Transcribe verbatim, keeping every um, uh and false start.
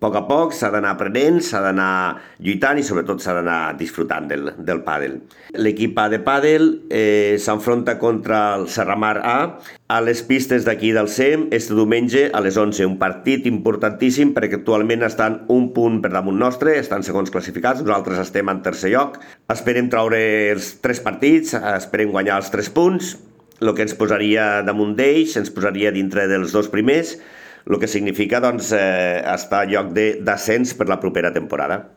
A poc a poc s'ha d'anar aprenent, s'ha d'anar lluitant i sobretot s'ha d'anar disfrutant del, del pàdel. L'equip A de pàdel eh, s'enfronta contra el Serramar A a les pistes d'aquí del C E M este diumenge a les onze. Un partit importantíssim perquè actualment estan un punt per damunt nostre, estan segons classificats, nosaltres estem en tercer lloc. Esperem treure els tres partits, esperem guanyar els tres punts, el que ens posaria damunt d'ells, ens posaria dintre dels dos primers, el que significa doncs, eh, estar a lloc de descens per la propera temporada.